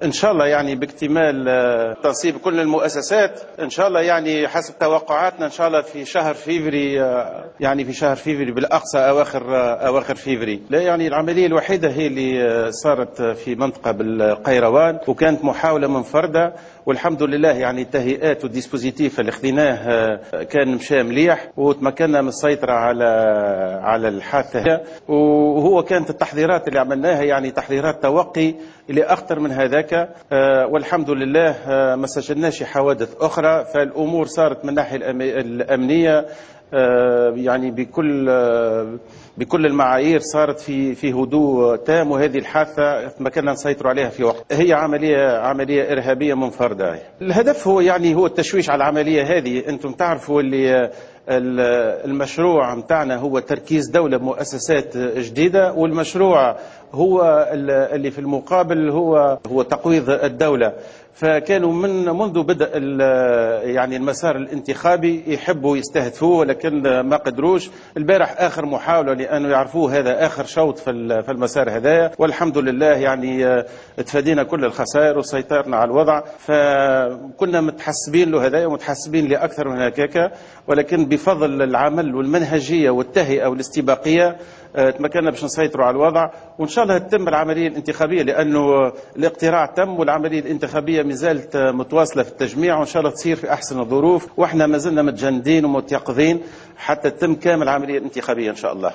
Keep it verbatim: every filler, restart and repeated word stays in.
ان شاء الله يعني باكتمال آه، تنصيب كل المؤسسات ان شاء الله، يعني حسب توقعاتنا ان شاء الله في شهر فيفري، آه، يعني في شهر فيفري بالاقصى اواخر آه، اواخر فيفري. لا يعني العملية الوحيدة هي اللي صارت في منطقة بالقيروان، وكانت محاولة منفردة، والحمد لله يعني التهيئات وال dispositif اللي خذيناه كان مشى مليح، وتمكنا من السيطرة على على الحادثة. وهو كانت التحضيرات اللي عملناها يعني تحضيرات توقي اللي اخطر من هذاك، آه، والحمد لله آه، ما سجلناش حوادث اخرى. فالامور صارت من الناحية الامنية آه، يعني بكل بكل المعايير صارت في في هدوء تام، وهذه الحادثة تمكنا نسيطر عليها في وقت. هي عملية عملية ارهابية منفردة. الهدف هو يعني هو التشويش على العملية هذه. انتم تعرفوا اللي المشروع متاعنا هو تركيز دولة بمؤسسات جديدة، والمشروع هو اللي في المقابل هو هو تقويض الدولة. فكانوا من منذ بدء يعني المسار الانتخابي يحبوا يستهدفوه، ولكن ما قدروش. البارح اخر محاولة، لانه يعرفوه هذا اخر شوط في المسار هذايا، والحمد لله يعني تفادينا كل الخسائر وسيطرنا على الوضع. فكنا متحسبين له هذايا ومتحسبين لاكثر من هكاك، ولكن بفضل العمل والمنهجيه والتهيئه والاستباقيه تمكنا باش نسيطروا على الوضع، وان شاء الله تتم العملية الانتخابية، لانه الاقتراع تم والعملية الانتخابية ما زالت متواصلة في التجميع، وان شاء الله تصير في احسن الظروف، واحنا ما زلنا متجندين ومتيقظين حتى تتم كامل العملية الانتخابية ان شاء الله.